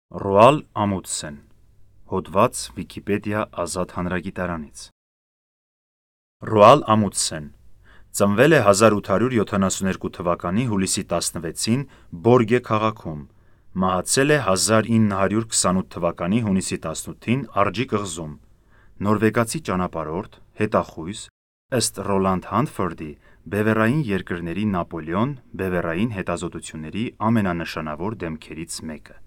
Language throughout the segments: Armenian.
Ռոալ Ամունդսեն, հոդված Վիկիպեդիա ազատ հանրագիտարանից։ Ռոալ Ամունդսեն ծնվել է 1872 թվականի հուլիսի 16-ին Բորգե քաղաքում, մահացել է 1928 թվականի հունիսի 18-ին Արձի կղզում, նորվեգացի ճանապարհորդ, հետախույզ, ըստ Ռոլանդ Հանտֆորդի բևեռային երկրների Նապոլեոն բևեռային հետազոտությունների ամենանշանավոր դեմքերից մեկը։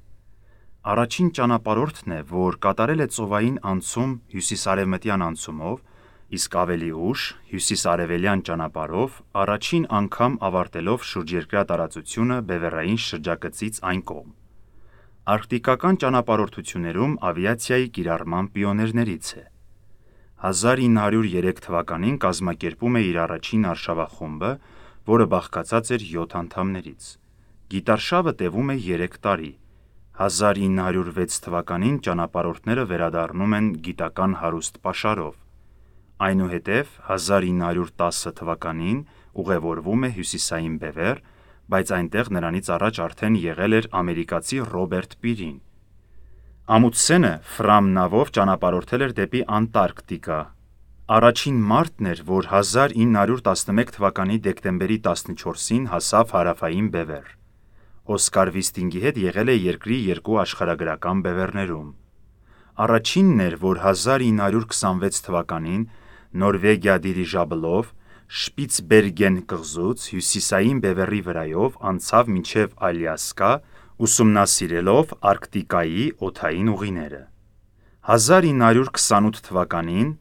Առաջին ճանապարհորդն է, որ կատարել է ծովային անցում հյուսիսարևմտյան անցումով, իսկ ավելի ուշ հյուսիսարևելյան ճանապարհով առաջին անգամ ավարտելով շուրջերկրյա տարածությունը բևեռային շրջագծից այն կողմ։ Արկտիկական ճանապարհորդություններում ավիացիայի կիրառման պիոներներից է։ 1903 թվականին կազմակերպում է իր առաջին արշավախումբը, որը բաղկացած էր 7 անդամներից։ Գիտարշավը տևում է 3 տարի։ 1906 թվականին ճանապարհորդները վերադառնում են գիտական հարուստ պաշարով։ Այնուհետև 1910 թվականին ուղևորվում է Հյուսիսային բևեռ, բայց այնտեղ նրանից առաջ արդեն եղել էր ամերիկացի Ռոբերտ Պիրին։ Ամունդսենը Ֆրամ նավով ճանապարհորդել էր դեպի Անտարկտիկա։ Առաջին մարդն էր, որ 1911 թվականի դեկտեմբերի 14-ին հասավ Հարավային բևեռ։ Օսկար Վիստինգի հետ եղել է երկրի 2 աշխարհագրական բևեռներում։ Առաջինն էր, որ 1926 թվականին Նորվեգիա դիրիժաբլով Շպիցբերգեն կղզուց հյուսիսային բևեռի վրայով անցավ մինչև Ալյասկա, ուսումնասիրելով Արկտիկայի օդային ուղիները։ 1928 թվականին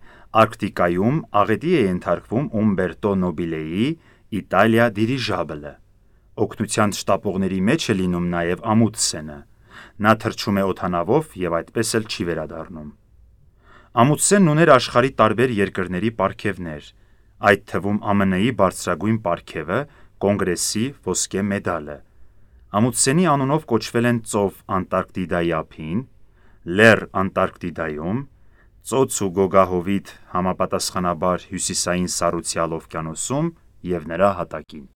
Արկտիկայում աղետի է ենթարկվում Ումբերտո Նոբիլեի Իտալիա դիրիժաբլը։ Օգնության շտապողների մեջ է լինում նաև Ամունդսենը։ Նա թռչում է օդանավով և այդպես էլ չի վերադառնում։ Ամունդսենն ուներ աշխարհի տարբեր երկրների պարգևներ, այդ թվում ԱՄՆ-ի բարձրագույն պարգևը Կոնգրեսի ոսկե մեդալը։ Ամունդսենի անունով կոչվել են ծով Անտարկտիդայի ափին, լեռ Անտարկտիդայում, ծոց ու գոգահովիտ համապատասխանաբար Հյուսիսային Սառուցյալ օվկիանոսում և նրա հատակին։